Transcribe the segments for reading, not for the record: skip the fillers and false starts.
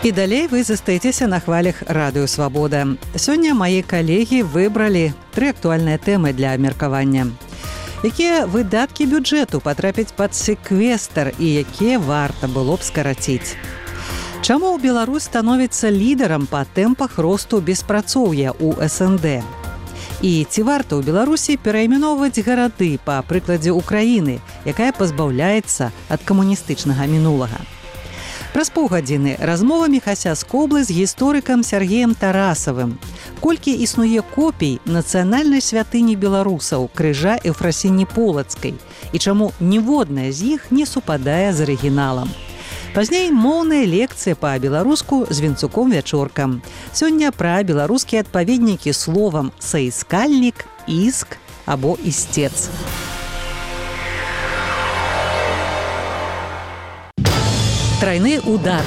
І далей вы застаецеся на хвалях Радыё Свабода. Сёння мае калегі выбралі 3 актуальныя тэмы для абмеркавання. Якія выдаткі бюджэту патрапяць пад секвестр і якія варта было б скараціць? Чаму Беларусь становіцца лідарам па тэмпах росту беспрацоўя ў СНД? І ці варта ў Беларусі перайменоўваць гарады па прыкладзе Украіны, якая пазбаўляецца ад камуністычнага мінулага? Праз паўгадзіны размова Міхася Скоблы з гісторыкам Сергеем Тарасавым. Колькі існуе копій нацыянальнай святыні беларусаў крыжа Эўфрасіні Полацкай і чаму ніводная з іх не супадае з арыгіналам. Пазней моўная лекцыя па-беларуску з Вінцуком-Вячоркам. Сёння пра беларускія адпаведнікі словам «саіскальнік», «іск» або «істец». Трайны удар.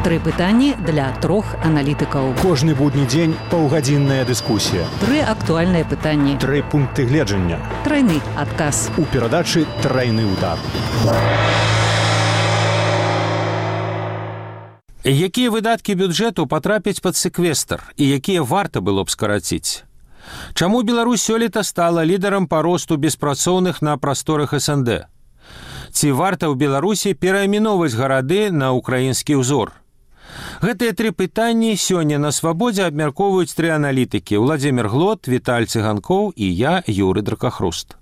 3 пытанні для 3 аналітыкаў. Кожны будні дзень паўгадзінная дыскусія. 3 актуальныя пытанні. 3 пункты гледжання. Трайны адказ. У перадачы «Трайны удар». Якія выдаткі бюджэту патрапяць пад секвестр і якія варта было б скараціць? Чаму Беларусь сёлета стала лідарам па росту беспрацоўных на прасторах СНД? Ці варта ў Беларусі перайменоўваць гарады на украінскі ўзор? Гэтыя 3 пытанні сёння на Свабодзе абмяркоўваюць 3 аналітыкі: Владзімір Глот, Віталь Цыганкоў і я, Юрый Дракахруст.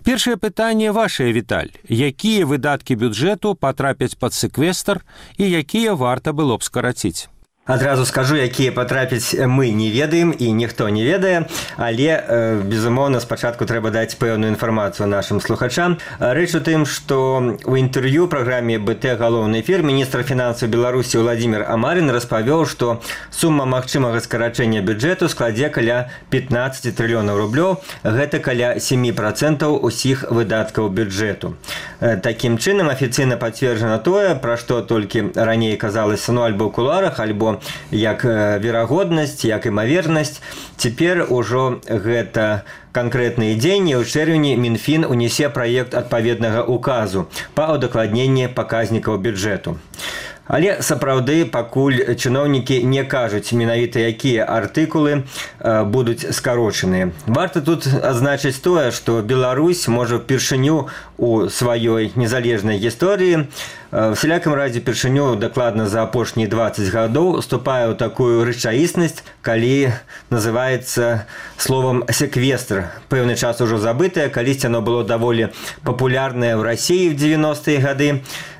Першае пытанне вашае, Віталь. Якія выдаткі бюджэту патрапяць пад секвестр і якія варта было б скараціць? Адразу скажу, якія патрапяць мы не ведаем і ніхто не ведае, але, безумоўна, спачатку трэба даць пэўную інфармацыю нашым слухачам. Рэч у тым, што ў інтэрв'ю праграме БТ «Галоўны эфір» міністр фінансаў Беларусі Владзімір Амарін распавёў, што сума магчымага скарачэння бюджэту складзе каля 15 трыльёнаў рублёў. Гэта каля 7% усіх выдаткаў бюджэту. Такім чынам, афіцыйна пацверджана тое, пра што толькі раней казалася, альбо ў кулуарах, альбо як верагоднасць, як імавернасць. Цяпер ужо гэта канкрэтныя дзеянні. У чэрвені Мінфін унясе праект адпаведнага указу па удакладненні паказнікаў бюджэту. Але сапраўды пакуль чыноўнікі не кажуць менавіта, якія артыкулы будуць скарочаныя. Варта тут адзначыць тое, што Беларусь можа ўпершыню у сваёй незалежнай гісторыі, всялякім разе першыню дакладна за апошнія 20 гадоў уступае ў такую рэчаіснасць, калі называецца словам секвестр. Пэўны час ужо забытае, калісьці оно было даволі папулярнае ў Расіі в 90-е гады,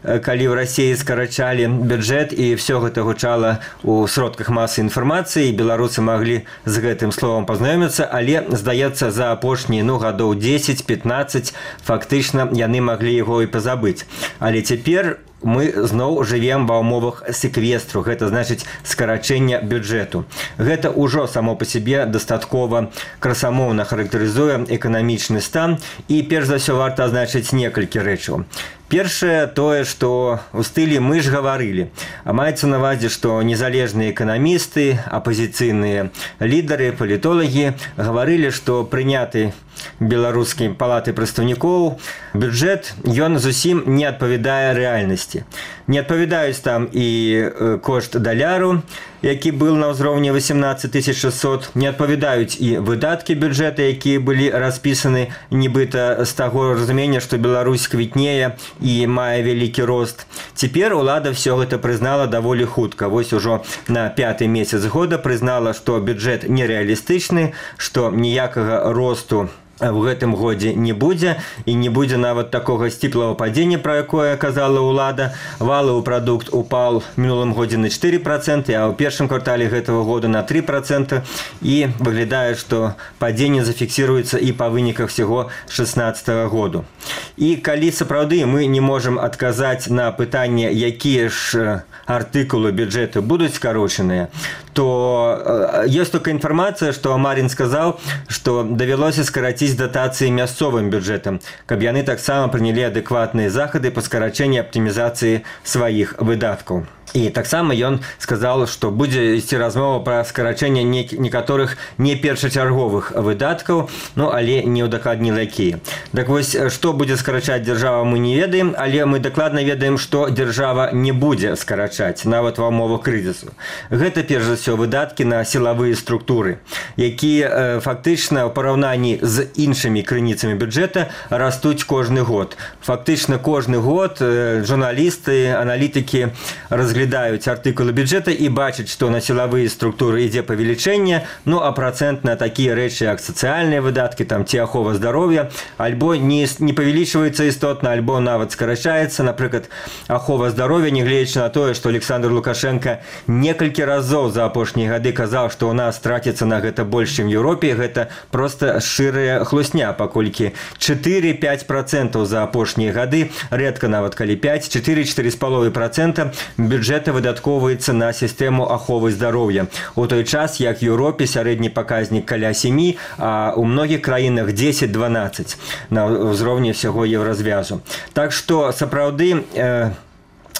калі ў Расіі скарачалі бюджэт і все гэта гучала ў сродках масы інфармацыі, і беларусы маглі з гэтым словам пазнаёміцца, але, здаецца, за апошнія гадоў 10-15 фактычна яны маглі яго і пазабыць. Але цяпер мы зноў жывем ва ўмовах секвестру, гэта значыць скарачэння бюджэту. Гэта ўжо само па сябе дастаткова красамоўна характарызуе эканамічны стан, і перш за ўсё варта азначыць некалькі рэчаў. Першае тое, што ў стылі «мы ж гаварылі». А маецца на ўвазе, што незалежныя эканамісты, апазіцыйныя лідары, палітолагі гаварылі, што прыняты беларускай палаты прадстаўнікоў бюджэт, ён зусім не адпавядае рэальнасці. Не адпавядаюць там і кошт даляру, які был на ўзроўні 18 600, не адпавядаюць і выдаткі бюджэта, якія былі распісаны нібыта з таго разумення, што Беларусь квітнее і мае вялікі рост. Цяпер улада все гэта прызнала даволі хутка. Вось ужо на 5-й месяц года прызнала, што бюджэт нерэалістычны, што ніякага росту в гэтым годзе не будзе, і не будзе нават такога сціплага падзення, пра якое казала ўлада. Валовы прадукт упаў в мінулым годзе на 4%, а ў першым квартале гэтага года на 3%, і выглядае, што падзенне зафіксіруецца і па выніках всего 2016 году. І калі сапраўды мы не можам адказаць на пытанне, якія ж артыкулы бюджэту будуць скарочаныя, то ёсць только інфармацыя, што Амарін сказаў, што давялося скараціць датацыі мясцовым бюджэтам, каб яны таксама прынялі адэкватныя захады па скарачэнні аптымізацыі сваіх выдаткаў. І таксама ён сказал, што будзе ісці размова пра скарачэнне некаторых не першачарговых выдаткаў, але не ўдакладніла якія. Так вось, што будзе скарачаць дзяржава, мы не ведаем, але мы дакладна ведаем, што дзяржава не будзе скарачаць нават ва ўмовах крызісу. Гэта перш за ўсё выдаткі на сілавыя структуры, якія фактычна ў параўнанні з іншымі крыніцамі бюджэта растуць кожны год. Фактычна кожны год журналісты, аналітыкі разглядаюць артыкулы бюджэта і бачаць, што на сілавыя структуры ідзе павелічэнне, а працэнт на такія рэчы, як сацыяльныя выдаткі, ці ахова здароўя, альбо не павялічваецца істотна, альбо нават скарачаецца. Напрыклад, ахова здароўя, нягледзячы на тое, што Александр Лукашенко некалькі разоў за апошнія гады казаў, што ў нас траціцца на гэта больш, чым Еўропе, гэта проста шчырая хлусня, паколькі 4-5% за апошнія гады, рэдка нават калі 5, 4-4,5% бюджэта выдаткоўваецца на сістэму аховы здароўя. У той час, як в Еўропе сярэдні паказнік каля 7, а у многіх краінах 10-12 на ўзроўні ўсяго еўразвязу. Так што, сапраўды,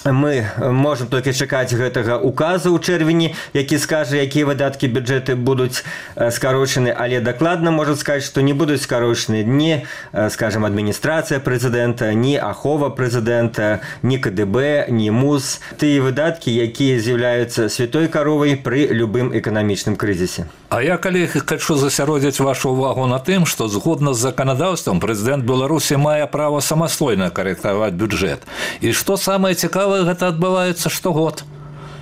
мы можам толькі чакаць гэтага указа ў чэрвені, які скажа, якія выдаткі бюджэты будуць скарочаны, але дакладна можа сказаць, што не будуць скарочаны ні, скажам, адміністрацыя прэзідэнта, ні ахова прэзідэнта, ні КДБ, ні МУЗ. Тыя выдаткі, якія з'яўляюцца святой каровай пры любым эканамічным крызісе. А я, калегі, хочу засяродзіць вашу ўвагу на тым, што згодна з заканадаўствам прэзідэнт Беларусі мае права самастойна карэктаваць бюджэт. І што самае цікавае, гэта адбываецца штогод.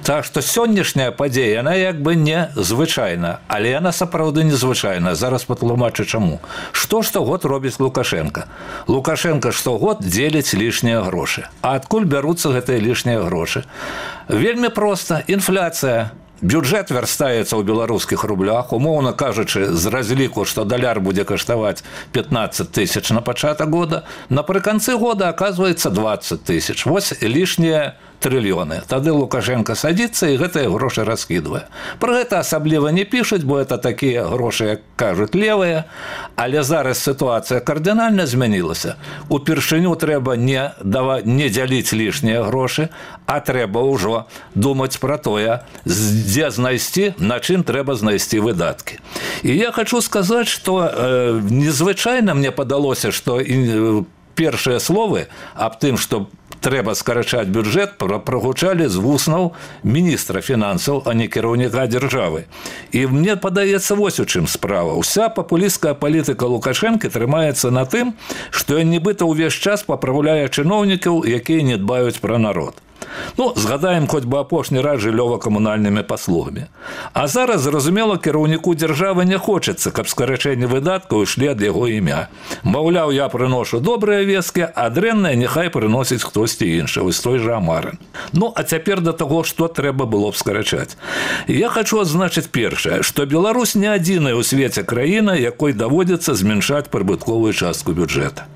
Так што сённяшняя падзея, яна як бы не звычайна, але яна сапраўды незвычайна. Зараз патлумачу чаму. Што штогод робіць Лукашенко? Лукашенко штогод дзеліць лішнія грошы. А адкуль бяруцца гэтыя лішнія грошы? Вельмі проста. Інфляцыя. Бюджэт вярстаецца ў беларускіх рублях, умоўна кажучы, з разліку, што даляр будзе каштаваць 15 тысяч на пачатак года, напрыканцы года аказваецца 20 тысяч. Вось лішнія трыльёны. Тады Лукашенко садзіцца і гэтыя грошы раскідвае. Пра гэта асабліва не пішуць, бо это такія грошы, як кажуць, левыя, але зараз сітуацыя кардынальна змянілася. Упершыню трэба не дзяліць лішнія грошы, а трэба ўжо думаць пра тое, дзе знайсці, на чым трэба знайсці выдаткі. І я хочу сказаць, што незвычайна мне падалося, што першыя словы аб тым, што трэба скарачаць бюджэт, прагучалі з вуснаў міністра фінансаў, а не кіраўніка дзяржавы. І мне падаецца вось у чым справа. Уся папулісцкая палітыка Лукашэнкі трымаецца на тым, што ён нібыта ўвесь час папраўляе чыноўнікаў, якія не дбаюць пра народ. Згадаем хоць бы апошні раз жыллёва-камунальнымі паслугамі. А зараз, зразумела, кіраўніку дзяржавы не хочацца, каб скарачэнне выдаткаў ішлі ад яго імя. Маўляў, я прыношу добрыя весткі, а дрэнныя няхай прыносіць хтосьці іншы, вось той жа Амарын. А цяпер да таго, што трэба было б скарачаць. Я хочу адзначыць першае, што Беларусь не адзіная ў свеце краіна, якой даводзіцца змяншаць прыбытковую частку бюджэта.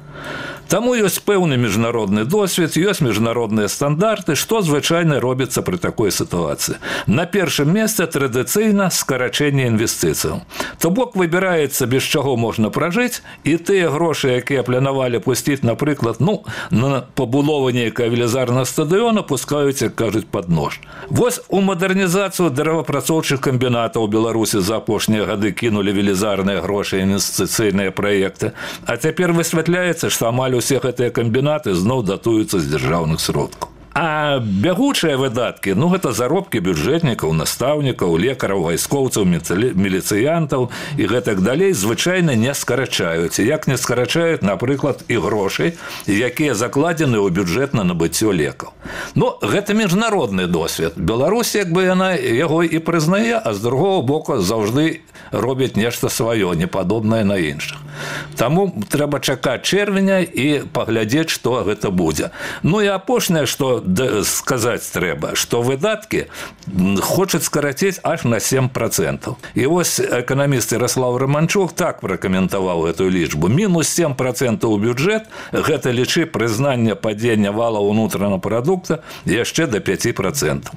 Таму ёсць пэўны міжнародны досвед, ёсць міжнародныя стандарты, што звычайна робіцца пры такой сітуацыі. На першым месцы традыцыйна скарачэнне інвестыцыяў. То бок выбіраецца, без чаго можна пражыць, і тыя грошы, якія планавалі пусціць, напрыклад, на пабудову нейкага велізарнага стадыёна, пускаюць, як кажуць, пад нож. Вось у мадэрнізацыю дрэваапрацоўчых камбінатаў у Беларусі за апошнія гады кінулі велізарныя грошы інвестыцыйныя праекты, а цяпер высвятляецца, што амаль усе гэтыя камбінаты зноў датуюцца з дзяржаўных сродкаў. А бягучыя выдаткі, гэта заробкі бюджэтнікаў, настаўнікаў, лекараў, вайскоўцаў, міліцыянтаў і гэтак далей звычайна не скарачаюць. Як не скарачаюць, напрыклад, і грошай, якія закладзены ў бюджэт на набыццё лекаў. Гэта міжнародны досвед. Беларусь, як бы яна яго і прызнае, а з другого боку заўжды робяць нешта сваё, непадобнае на іншых. Таму трэба чакаць чэрвеня і паглядзець, што гэта будзе. І апошняе, што сказаць трэба, што выдаткі хочуць скараціць аж на 7%. І вось эканаміст Ярослав Романчук так пракаментаваў гэтую лічбу. Мінус 7% у бюджэт – гэта лічы прызнання падзення вала ўнутранага прадукта яшчэ да 5%.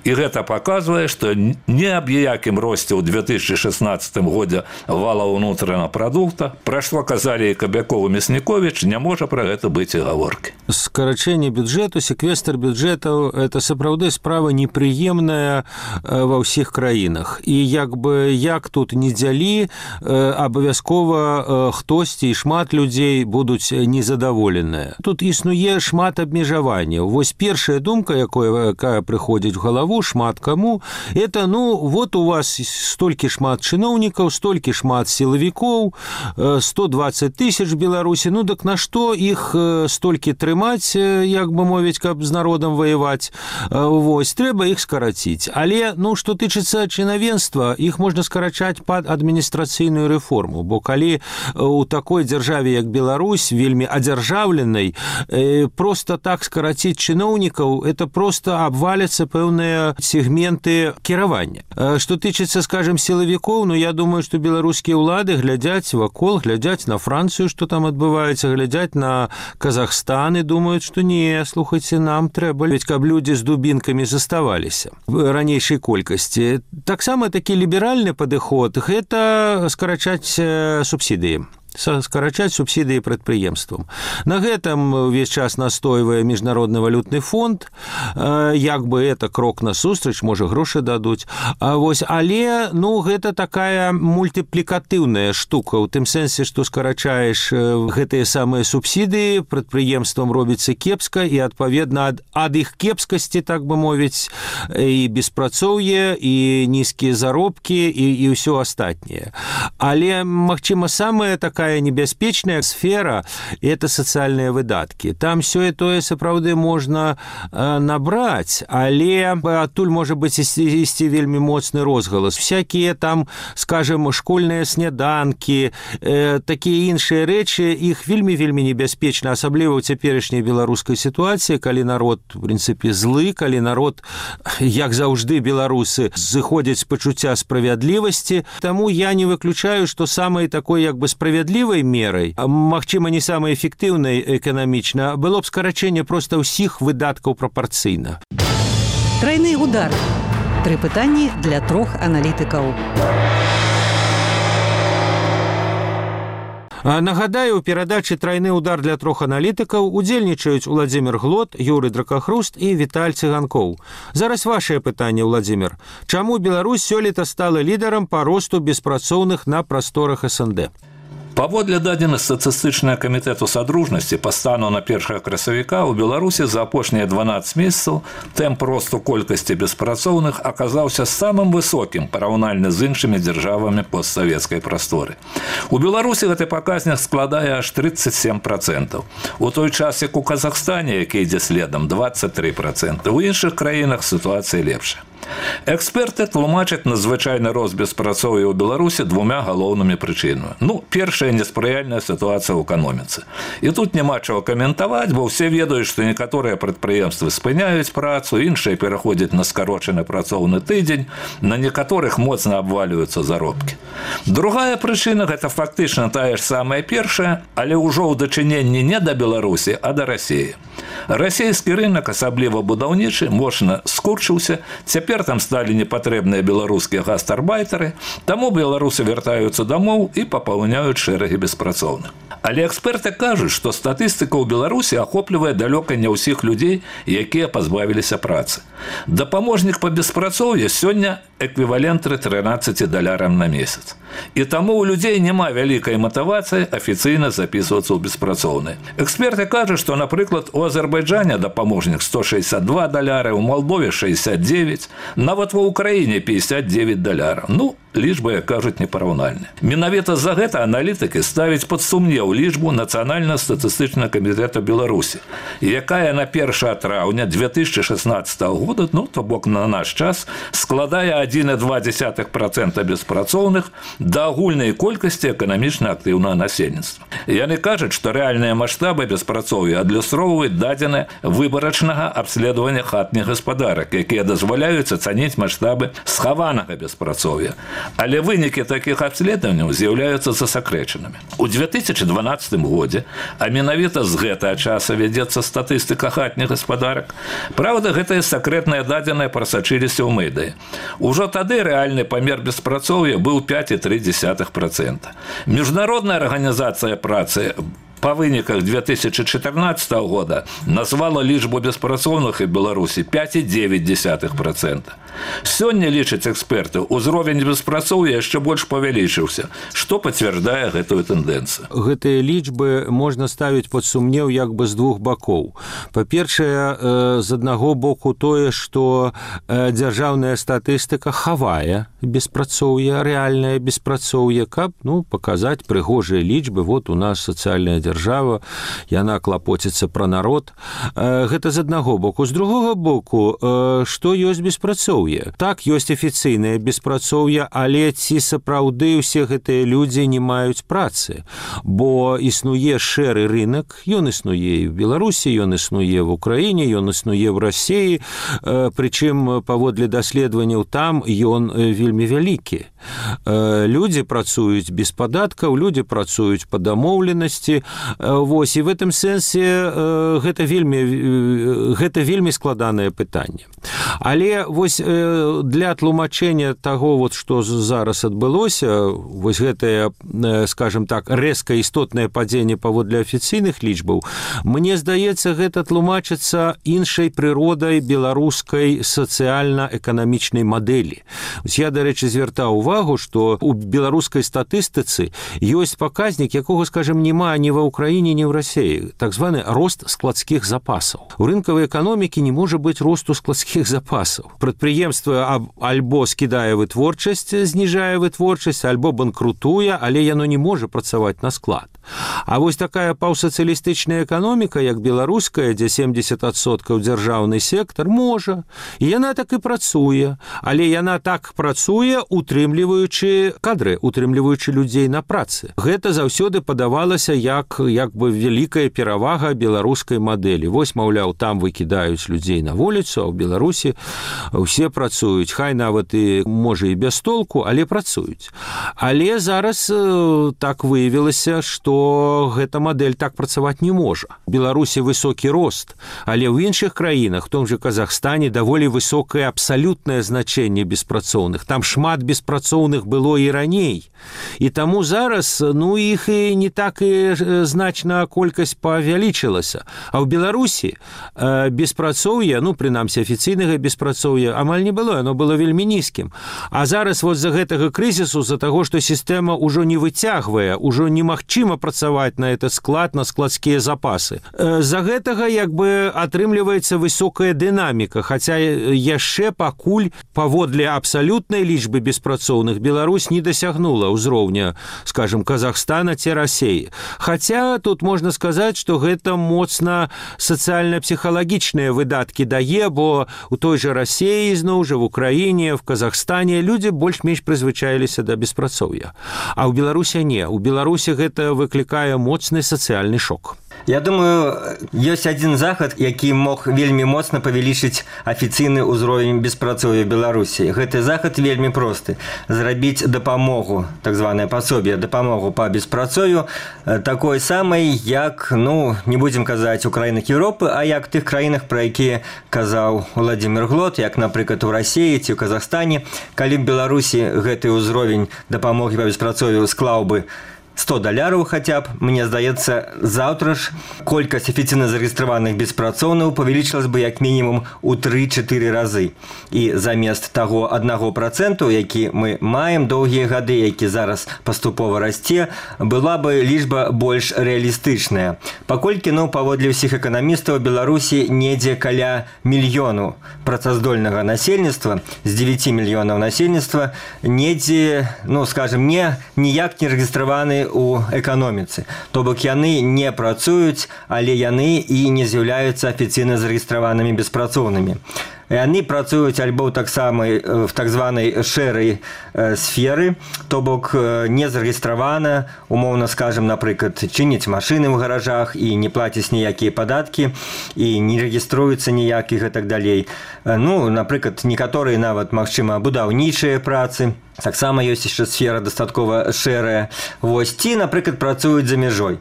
І гэта паказвае, што не аб якім росце ў 2016 годзе вала ўнутранага прадукта, пра што казалі і Кабяков і Мясніковіч, не можа пра гэта быць і гаворкі. Скарачэнне бюджэту секвестр бюджэтаў это сапраўды справа непрыемная ва ўсіх краінах. І як тут не дзялі, абавязкова хтосьці і шмат людзей будуць незадаволеныя. Тут існуе шмат абмежаванняў. Вось першая думка, якая прыходзіць в галаву шмат каму, это вот у вас столькі шмат чыноўнікаў, столькі шмат сілавікоў, 120 тысяч Беларусі, так на што іх столькі трымаць, як бы мовіць, каб з народам ваяваць. Вось, трэба іх скараціць. Але, што тычыцца чынавенства, іх можна скарачаць пад адміністрацыйную рэформу, бо калі у такой дзяржаве, як Беларусь, вельмі адзяржаўленай, проста так скараціць чыноўнікаў, это проста абваляцца пэўныя сегменты кіравання. Што тычыцца, скажем, сілавікоў, я думаю, што беларускія ўлады глядзяць вакол, глядзяць на Францыю, што там адбываецца, глядзяць на Казахстан і думаюць, што не, слухайце, нам трэба, ведь каб людзі з дубінкамі заставаліся в ранейшай колькасці. Таксама такі ліберальны падыход – гэта скарачаць субсідыі. Скарачаць субсідыі прадпрыемствам. На гэтым увесь час настойвае Міжнародны валютны фонд, як бы это крок насустрач, можа грошы дадуць. Але гэта такая мультыплікатыўная штука, у тым сэнсе, што скарачаеш гэтыя самыя субсідыі, прадпрыемствам робіцца кепска, і адпаведна ад іх кепскасці, так бы мовіць, і беспрацоўе, і нізкія заробкі, і ўсё астатняе. Але, магчыма, самая такая небяспечная сфера – это сацыяльныя выдаткі. Там сёе-тое сапраўды можна набраць, але адтуль можа быць ісці вельмі моцны розгалас. Всякія там, скажем, школьныя сняданкі, такія іншыя рэчы, іх вельмі небяспечна, асабліва ў цяперашняй беларускай сітуацыі, калі народ, в прынцыпе, злы, калі народ, як заўжды беларусы, зыходзяць з пачуцця справядлівасці. Таму я не выключаю, што самай такой як бы справядлівай мерай, магчыма, не самай эфектыўнай эканамічна, было б скарачэнне проста ўсіх выдаткаў прапарцыйна. Трайны удар. 3 пытанні для 3 аналітыкаў. Нагадаю, у перадачы «Трайны удар» для 3 аналітыкаў удзельнічаюць Уладзімір Глот, Юрый Дракахруст і Віталь Цыганкоў. Зараз вашае пытанне, Уладзімір. Чаму Беларусь сёлета стала лідарам па росту беспрацоўных на прасторах СНД? Паводле дадзеных статыстычнага камітэту садружнасці па стану на 1 красавіка ў Беларусі за апошнія 12 месяцаў тэмп росту колькасці беспрацоўных аказаўся самым высокім параўнальна з іншымі дзяржавамі постсавецкай прасторы. У Беларусі гэты паказнік складае аж 37%. У той час, як у Казахстане, які ідзе следам, 23%. У іншых краінах сітуацыя лепшая. Эксперты тлумачаць надзвычайны рост беспрацоўя ў Беларусі 2 галоўнымі прычынамі. Першая неспрыяльная сітуацыя ў эканоміцы. І тут няма чаго каментаваць, бо ўсе ведаюць, што некаторыя прадпрыемствы спыняюць працу, іншыя пераходзяць на скарочаны працоўны тыдзень, на некаторых моцна абвалююцца заробкі. Другая прычына – гэта фактычна тая ж самая першая, але ўжо ў дачыненні не да Беларусі, а да Расіі. Расійскі рынок, асабліва будаўнічы, моцна скурчыўся, цяпер там сталі непатрэбныя беларускія гастарбайтары, таму беларусы вяртаюцца дамоў і папаўняюць шэрагі беспрацоўных. Але эксперты кажуць, што статыстыка ў Беларусі ахоплівае далёка не ўсіх людзей, якія пазбавіліся працы. Дапаможнік па беспрацоўі сёння эквівалент $13 на месяц. І таму ў людзей няма вялікай матывацыі афіцыйна запісвацца ў беспрацоўныя. Эксперты кажуць, што, напрыклад, у Азербайджане дапаможнік $162, у Малдове 69, нават ва ўкраіне $59. Лічбы, як кажуць, непараўнальныя. Менавіта за гэта аналітыкі ставяць пад сумнеў лічбу Нацыянальна-статыстычнага камітэта Беларусі, якая на 1 траўня 2016 года, то бок на наш час, складае 1,2% беспрацоўных да агульнай колькасці эканамічна актыўнага насельніцтва. Яны кажуць, што рэальныя маштабы беспрацоўя адлюстроўваюць дадзеныя выбарачнага абследавання хатніх гаспадарак, якія дазваляюць ацаніць маштабы схаванага беспрацоўя. Але вынікі такіх абследаванняў з'яўляюцца засакрэчанымі. У 2012 годзе, а менавіта з гэтага часа вядзецца статыстыка хатніх гаспадарак, праўда, гэтыя сакрэтныя дадзеныя прасачыліся ў медыі. Ужо тады рэальны памер беспрацоўя быў 5,3%. Міжнародная арганізацыя працы по выніках 2014 года назвала лічбу беспрацоўных в Беларусі 5,9%. Сёння, лічаць эксперты, узровень беспрацоўя яшчэ больш павялічыўся, што пацвярджае гэтую тэндэнцыю. Гэтыя лічбы можна ставіць пад сумнеў як бы з двух бакоў. Па-першае, з аднаго боку тое, што дзяржаўная статыстыка хавае беспрацоўе, рэальнае беспрацоўе, каб паказаць прыгожыя лічбы. Вот у нас сацыяльная дзяржава, яна клапоціцца пра народ. Гэта з аднаго боку. З другога боку, што ёсць беспрацоўе? Так, ёсць афіцыйнае беспрацоўе, але ці сапраўды ўсе гэтыя людзі не маюць працы? Бо існуе шэры рынок, ён існуе і в Беларусі, ён існуе в Украіне, ён існуе в Расіі, прычым паводле даследаванняў там ён вельмі вялікі. Людзі працуюць без падаткаў, людзі працуюць па дамоўленасці. Вось, і в гэтым сэнсе гэта вельмі складанае пытанне. Але вось для тлумачэння таго, што зараз адбылося, вось гэтае, скажем так, рэзка істотнае падзенне паводле афіцыйных лічбаў, мне здаецца, гэта тлумачыцца іншай прыродай беларускай сацыяльна-эканамічнай мадэлі. Я, дарэчы, звяртаў увагу, што у беларускай статыстыцы ёсць паказнік, якога, скажем, няма ні ва ўкраіне, ні ў Расіі, так званы рост складскіх запасаў. У рынкавай эканомікі не можа быць росту складскіх запасаў. Прадпрыемства альбо скідае вытворчасць, зніжае вытворчасць, альбо банкрутуе, але яно не можа працаваць на склад. А вось такая паўсацыялістычная эканоміка, як беларуская, дзе 70% дзяржаўны сектар, можа. І яна так і працуе. Але яна так працуе, утрымліваючы кадры, утрымліваючы людзей на працы. Гэта заўсёды падавалася як бы вялікая перавага беларускай мадэлі. Вось, маўляў, там выкідаюць людзей на вуліцу, а ў Беларусі ўсе працуюць. Хай нават і, можа, і без толку, але працуюць. Але зараз так выявілася, што гэта мадэль так працаваць не можа. У Беларусі высокі рост, але ў іншых краінах, в том же Казахстане, даволі высокае абсалютнае значэнне беспрацоўных. Там шмат беспрацоўных было і раней. І таму зараз, іх і не так і значна колькасць павялічылася. А ў Беларусі беспрацоўе, прынамсі афіцыйнага беспрацоўя, амаль не было, оно было вельмі нізкім. А зараз вот з-за гэтага крызісу, з-за таго, што сістэма ўжо не выцягвае, ўжо немагчыма працаваць на этот склад, на складскія запасы. З-за гэтага як бы атрымліваецца высокая дынаміка, хаця яшчэ пакуль паводле абсалютнай лічбы беспрацоўных Беларусь не дасягнула ўзроўня, скажем, Казахстана ці Расіі. Хаця тут можна сказаць, што гэта моцна сацыяльна-псіхалагічныя выдаткі дае, бо у той жа Расіі, зноў жа, в Украіне, в Казахстане людзі больш-менш прызвычаіліся да беспрацоўя. А ў Беларусі не. У Беларусі гэта выклікае моцны сацыяльны шок. Я думаю, ёсць адзін захад, які мог вельмі моцна павялічыць афіцыйны ўзровень беспрацоўя Беларусі. Гэты захад вельмі просты. Зрабіць дапамогу, так званае пасобе, дапамогу па беспрацоўю, такой самай, як, не будзем казаць у краінах Еўропы, а як тых краінах, пра якія казаў Владимир Глот, як, напрыклад, у Расіі ці ў Казахстане. Калі б Беларусі гэты ўзровень дапамогі па беспрацоўю склаў бы $100 хаця б, мне здаецца, заўтра ж колькасць афіцыйна зарэгістраваных беспрацоўных павялічылась бы як мінімум у 3-4 разы. І замест таго 1%, які мы маем доўгія гады, які зараз паступова расце, была бы лічба больш рэалістычная. Паколькі, паводле ўсіх эканамістаў, Беларусі недзе каля мільёну працаздольнага насельніцтва, з 9 мільёнаў насельніцтва, недзе, скажем, ніяк не рэгістраваны у эканоміцы. То бок яны не працуюць, але яны і не з'яўляюцца афіцыйна зарэгістраванымі беспрацоўнымі. Яны працуюць альбо таксама в так званай шэрай сферы, то бок не зарэгістравана, умоўна скажем, напрыклад, чыніць машыны ў гаражах і не плаціць ніякія падаткі і не рэгіструюцца ніяк і гэтак далей. Напрыклад, некаторыя нават, магчыма, будаўнічыя працы. Таксама ёсць яшчэ сфера дастаткова шэрая. Вось, ці, напрыклад, працуюць за мяжой.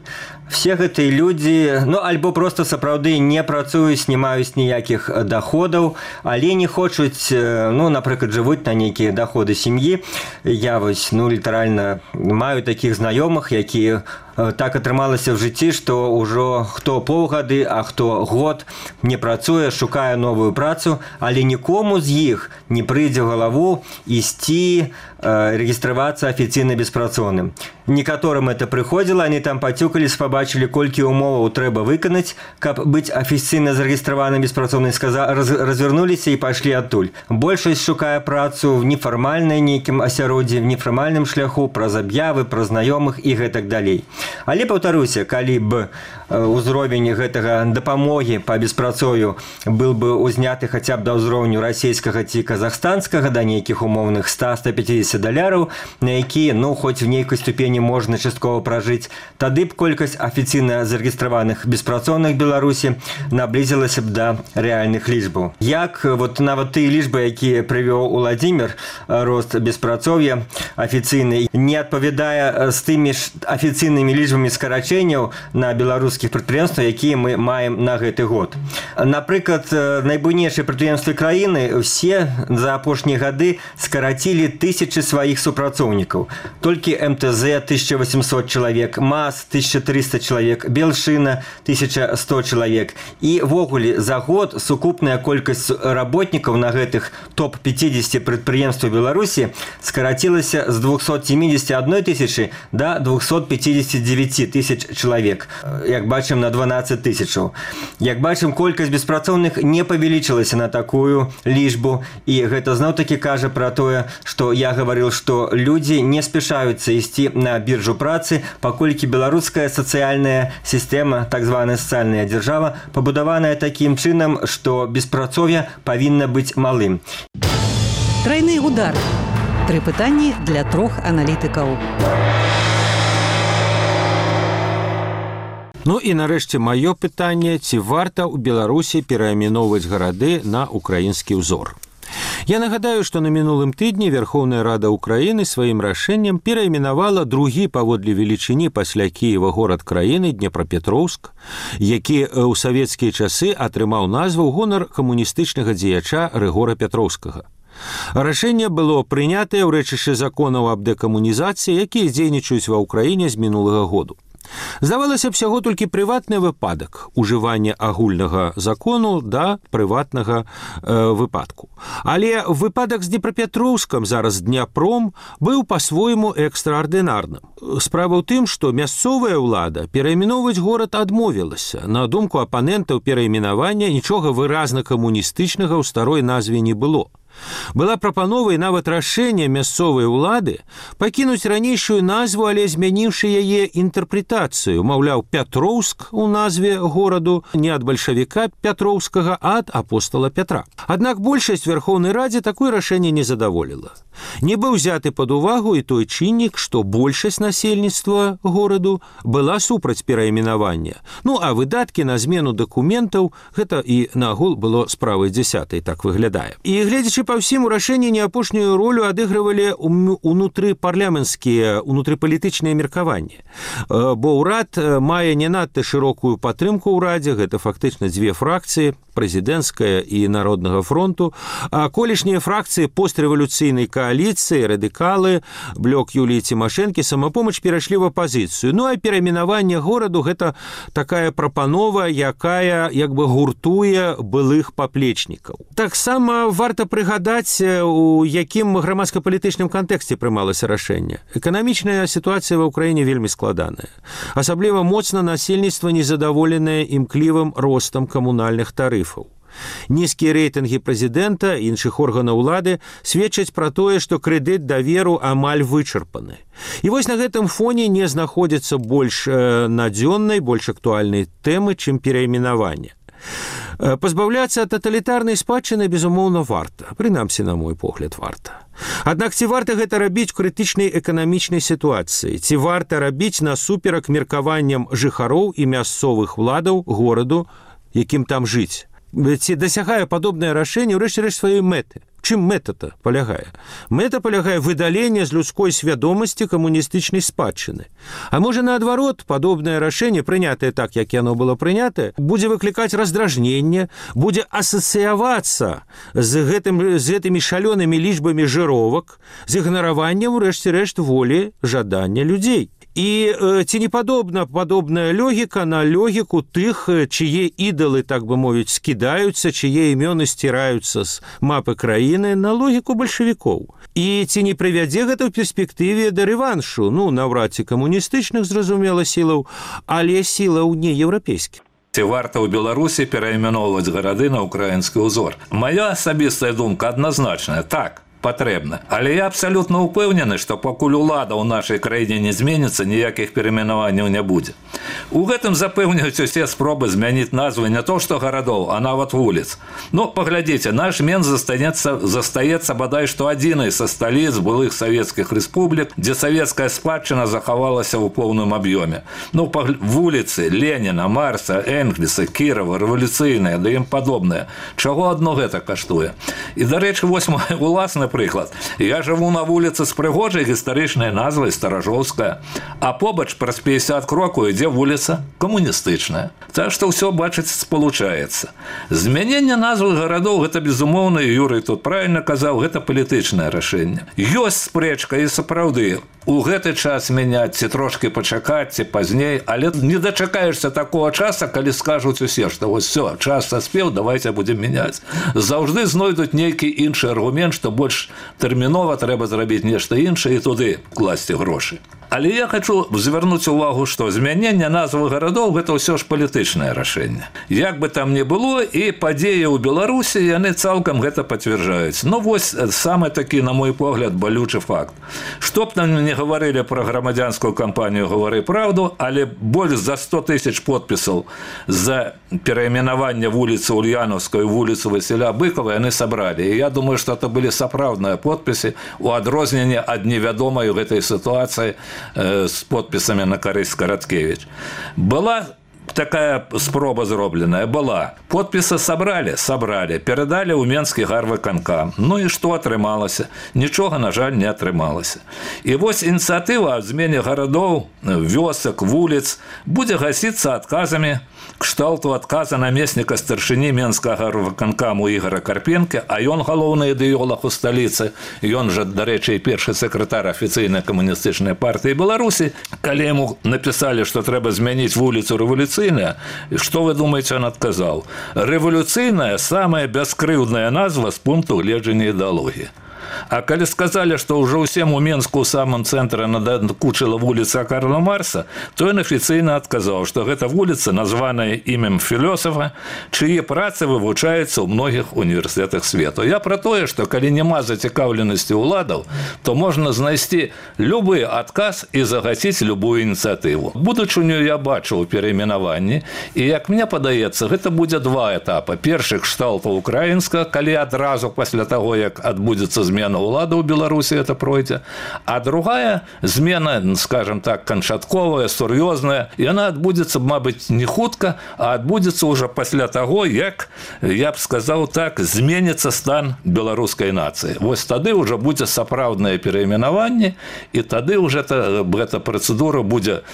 Все гэтыя людзі, альбо проста сапраўды не працуюць, не маюць ніякіх даходаў, але не хочуць, ну, напрыклад, жывуць на нейкія доходы сям'і. Я вось, ну, літаральна маю такіх знаёмых, якія так атрымалася ў жыцці, што ўжо хто паўгады, а хто год не працуе, шукае новую працу, але нікому з іх не прыйдзе ў галаву ісці рэгістравацца афіцыйна беспрацоўным. Некаторым это прыходзіла, они там пацюкались, побачили, колькі умоваў трэба выканаць, каб быць афіцыйна зарэгістраваным беспрацоўным, развернуліся і пайшлі адтуль. Большасць шукае працу в нефармальнай нейкім асяроддзі, в нефармальным шляху, праз аб'явы, праз знаёмых і гэтак далей. Але, паўтаруся, калі б узровень гэтага дапамогі па беспрацою был бы узняты хаця б да ўзроўню расійскага ці казахстанскага, да нейкіх умоўных $100-150, на якія, ну, хоць в нейкай ступені можна часткова пражыць, тады б колькасць афіцыйна зарэгістраваных беспрацоўных Беларусі наблізілася б да рэальных лічбаў. Як вот нават тыя лічбы, якія прывёў Уладзімір, рост беспрацоўя афіцыйны, не адпавядае з тымі ж афіцыйнымі лічбамі скарачэнняў на беларускіх прадпрыемствах, якія мы маем на гэты год. Напрыклад, найбуйнейшыя прадпрыемствы краіны все за апошнія гады скарацілі тысячы сваіх супрацоўнікаў. Толькі МТЗ 1800 чалавек, МАЗ 1300 чалавек, Белшына 1100 чалавек. І ввогуле за год сукупная колькасць работнікаў на гэтых топ-50 прадпрыемстваў Беларусі скарацілася з 271 тысячы до 259 тысяч чалавек. Як бачым, на 12 тысячаў. Як бачым, колькасць беспрацоўных не павялічылася на такую лічбу. І гэта зноў-такі кажа пра тое, што я гаварыў, што людзі не спяшаюцца ісці на біржу працы, паколькі беларуская сацыяльная сістэма, так званая сацыяльная дзяржава, пабудаваная такім чынам, што беспрацоўе павінна быць малым. Тройны удар. 3 пытанні для 3 аналітыкаў. Ну і нарэшце маё пытанне, ці варта ў Беларусі перайменоўваць гарады на украінскі ўзор. Я нагадаю, што на мінулым тыдні Верховная Рада Украіны сваім рашэннем перайменавала другі паводле велічыні пасля Кіева горад краіны Днепрапетроўск, які ў савецкія часы атрымаў назву ў гонар камуністычнага дзеяча Рыгора Пятроўскага. Рашэнне было прынятае ў рэчышчы законаў аб дэкамунізацыі, якія дзейнічаюць ва ўкраіне з мінулага году. Здавалася б, усяго толькі прыватны выпадак ужывання агульнага закону да прыватнага выпадку. Але выпадак з Днепрапетроўскам, зараз Дняпром, быў па-свойму экстраардынарным. Справа ў тым, што мясцовая ўлада перайменоўваць горад адмовілася. На думку апанентаў перайменавання, нічога выразна камуністычнага ў старой назве не было. Была прапанова і нават рашэнне мясцовай улады пакінуць ранейшую назву, але змяніўшы яе інтэрпрэтацыю. Маўляў, Пятроўск у назве гораду не ад бальшавіка Пятроўскага, а ад апостола Пятра. Аднак большасць Верховнай Радзе такое рашэнне не задаволіла. Не быў узяты пад увагу і той чыннік, што большасць насельніцтва гораду была супраць перайменавання. Ну, а выдаткі на змену дакументаў, гэта і нагул было справай 10-й, так выглядае. І гледзячы па ўсім, у рашэнні не апошнюю ролю адыгрывалі унутрыпарламенцкія, унутрыпалітычныя меркаванні. Бо ўрад мае не надта шырокую падтрымку ўрадзе, гэта фактычна дзве фракцыі, прэзідэнцкая і Народнага фронту, а колішнія фракцыі пострэвалюцыйнай кааліцыі, радыкалы, блок Юліі Цімашэнкі, самапомач перайшлі в апазіцыю. Ну, а перайменаванне гораду – гэта такая прапанова, якая як бы гуртуе былых паплечнікаў. Таксама варта прыгадаць, у якім грамадска-палітычным кантэксце прымалася рашэнне. Эканамічная сітуацыя ва ўкраіне вельмі складаная. Асабліва моцна насельніцтва незадаволенае імклівым ростам камунальных тарыфаў. Нізкія рэйтынгі прэзідэнта і іншых органаў улады сведчаць пра тое, што крэдыт даверу амаль вычарпаны. І вось на гэтым фоне не знаходзіцца больш надзённай, больш актуальнай тэмы, чым перайменаванне. Пазбаўляцца ад таталітарнай спадчыны, безумоўна, варта. Прынамсі, на мой погляд, варта. Аднак ці варта гэта рабіць у крытычнай эканамічнай сітуацыі? Ці варта рабіць насуперак меркаванням жыхароў і мясцовых уладаў гораду, якім там жыць? ці дасягае падобнае рашэнне ўрэшце рэшт сваёй мэты. Чым мэта-то палягае? Мэта палягае выдаленне з людской свядомасці камуністычнай спадчыны. А можа, наадварот, падобнае рашэнне, прынятае так, як яно было прынятае, будзе выклікаць раздражненне, будзе асацыявацца з гэтымі шалёнымі лічбамі жыровак, з ігнараваннем, урэшце рэшт, волі, жадання людзей. І ці не падобная логіка на логіку тых, чые ідалы, так бы мовіць, скідаюцца, чые імёны сціраюцца з мапы краіны, на логіку бальшавікоў. І ці не прывядзе гэта ў перспектыве да рэваншу, наўрад ці камуністычных, зразумела, сілаў, але сілаў не еўрапейскіх. Ці варта ў Беларусі перайменоўваць гарады на ўкраінскі ўзор? Мая асабістая думка адназначная. Так, патрэбна. Але я абсалютна ўпэўнены, што пакуль улада ў нашай краіне не зменіцца, ніякіх перайменаванняў не будзе. У гэтым запэўняюць усе спробы змяніць назвы не то што гарадоў, а нават вуліц. Паглядзіце, наш Менск застаецца бадай што адзінай са сталіц былых савецкіх рэспублік, дзе савецкая спадчына захавалася ў поўным аб'ёме. Вуліцы Леніна, Марса, Энгельса, Кірова, рэвалюцыйныя, да ім падобныя. Чаго адно гэта каштуе? І, дарэчы, вось мой уласны прыклад. Я жыву на вуліцы з прыгожай гістарычнай назвай Старажоўская, а побач праз 50 крокаў ідзе вуліца камуністычная. Так што ўсё, бачыць, спалучаецца. Змяненне назвы гарадоў, гэта безумоўна, і Юрый тут правільна казаў, гэта палітычнае рашэнне. Ёсць спрэчка і сапраўды. У гэты час мяняць, ці трошкі пачакаць, ці пазней, але не дачакаешся такога часа, калі скажуць усе, што вось все, час саспеў, давайте будзем мяняць. Заўжды знойдуць нейкі іншы аргумент, што больш тэрмінова трэба зрабіць нешта іншае і туды класці грошы. Але я хочу звярнуць увагу, што змяненне назвы гарадоў – гэта ўсё ж палітычнае рашэнне. Як бы там ни было, і падзеі ў Беларусі, яны цалкам гэта пацвярджаюць. Вось самы такі, на мой погляд, балючы факт. Што б там не гаварылі пра грамадзянскую кампанію «Гавары праўду», але больш за 100 000 подпісаў за перайменаванне вуліцы Ульяновскай у вуліцу Васіля Быкова яны сабралі. І я думаю, што это былі сапраўдныя подпісы у адрозненне ад невядомай у гэтай сітуацыі з подпісамі на карысць Караткевіч. Была такая спроба зробленая, была. Подпісы сабралі, перадалі ў Менскі гарвыканкам. І што атрымалася? Нічога, на жаль, не атрымалася. І вось ініцыятыва аб змене гарадоў, вёсак, вуліц будзе гасіцца адказамі, кшталту адказа намесніка старшыні Менскага гарвыканкаму Ігора Карпенкі, а ён галоўны ідэолог у сталіцы, ён жа, дарэчы, першы сакратар афіцыйнай камуністычнай партыі Беларусі, калі яму напісалі, што трэба змяніць вуліцу рэвалюцыйная, што вы думаеце, ён адказаў? Рэвалюцыйная – самая бяскрыўдная назва з пункту гледжання ідэалогіі. А калі сказалі, што ўжо ўсім у Менску ў самым цэнтры надакучыла вуліца Карла Марса, то ён афіцыйна адказаў, што гэта вуліца, названая імем філёсафа, чые працы вывучаюцца ў многіх універсітэтах свету. Я пра тое, што калі няма зацікаўленасці ўладаў, то можна знайсці любы адказ і загасіць любую ініцыятыву. Будучыню я бачу ў перайменаванні, і, як мне падаецца, гэта будзе два этапы. Першы кшталту украінска, калі адразу пасля таго, як адбудзецца змена улады ў Беларусі, это пройдзе. А другая змена, скажем так, канчатковая, сур'ёзная, яна адбудзецца, мабыць, не хутка, а адбудзецца ўжо пасля таго, як, я б сказаў так, зменіцца стан беларускай нацыі. Вось тады ўжо будзе сапраўднае перайменаванне, і тады ўжо гэта працэдура будзе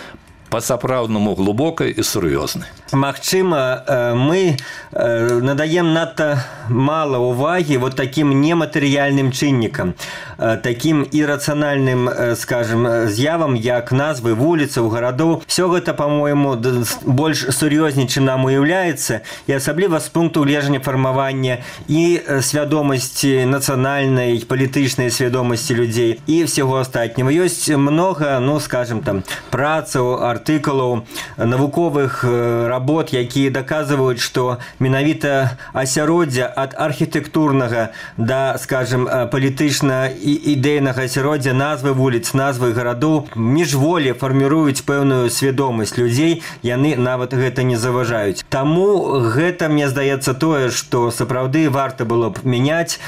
па-сапраўднаму глубокай і сур'ёзнай. Магчыма, мы надаем надта мало уваги вот таким нематэрыяльным чыннікам, таким ірацыянальным, скажем, з'явам, як назвы вуліцаў, гарадоў. Все гэта, по-моему, больш сур'ёзней, чым нам уяўляецца, і асабліва з пункту гледжання фармавання і свядомасці нацыянальнай, палітычнай свядомасці людзей і всего астатняго. Ёсць много, скажем, там, працаў, артыкулаў, навуковых работ, якія даказваюць, што менавіта асяроддзе ад архітэктурнага да, скажем, палітычна-ідэйнага асяроддзя, назвы вуліц, назвы гарадоў міжволі фарміруюць пэўную свядомасць людзей, яны нават гэта не заўважаюць. Таму гэта, мне здаецца, тое, што сапраўды варта было б мяняць,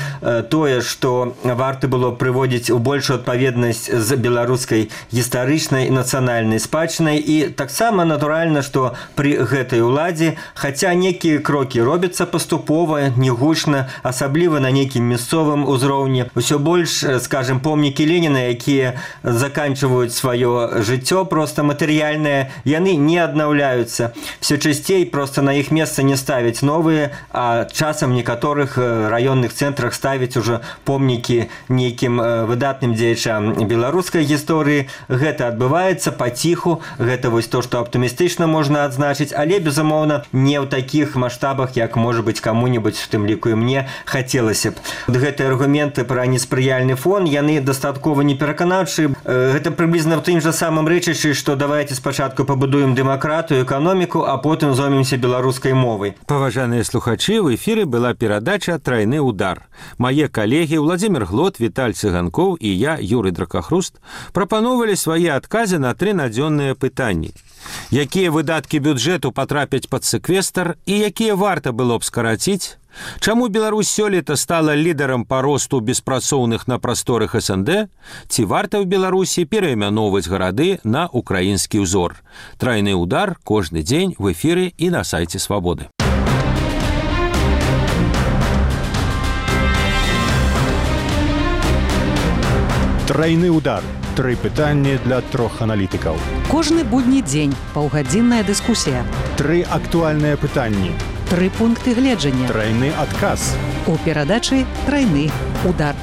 тое, што варта было б прыводзіць у большую адпаведнасць з беларускай гістарычнай і нацыянальнай спадчынай. І таксама натуральна, што пры гэтай уладзе, хаця некія крокі робяцца паступова, негучна, асабліва на нейкім мясцовым узроўні. Усё больш, скажем, помнікі Леніна, якія заканчиваюць сваё жыццё просто матэрыяльнае, яны не аднаўляюцца. Все часцей просто на іх месца не ставяць новыя, а часам некаторых раённых цэнтрах ставяць уже помнікі нейкім выдатным дзеячам беларускай гісторыі. Гэта адбываецца паціху, гэта вось то, што аптымістычна можна адзначыць, але, безумоўна, не ў такіх маштабах, як, можа быць, каму-небудзь, в тым ліку і мне, хацелася б. Гэтыя аргументы пра неспрыяльны фон, яны дастаткова непераканаўчыя. Гэта прыблізна ў тым жа самым рэчышчы, што давайте спачатку пабудуем дэмакратыю, эканоміку, а потым зоймемся беларускай мовай. Паважаныя слухачы, в эфіры была перадача «Трайны удар». Мае калегі Владзімір Глот, Віталь Цыганкоў і я, Юрый Дракахруст, прапановвалі свае адказы на 3 надзённыя пытанні. Якія выдаткі бюджэту патрапяць пад сэквестр і якія варта было б скараціць? Чаму Беларусь сёлета стала лідарам па росту беспрацоўных на прасторах СНД? Ці варта ў Беларусі пераймяноўваць гарады на украінскі ўзор? Трайны удар кожны дзень в эфіры і на сайце Свабоды. Трайны удар. 3 пытанні для 3 аналітыкаў. Кожны будні дзень паўгадзінная дыскусія. 3 актуальныя пытанні. 3 пункты гледжання. Трайны адказ. У перадачы «Трайны удар».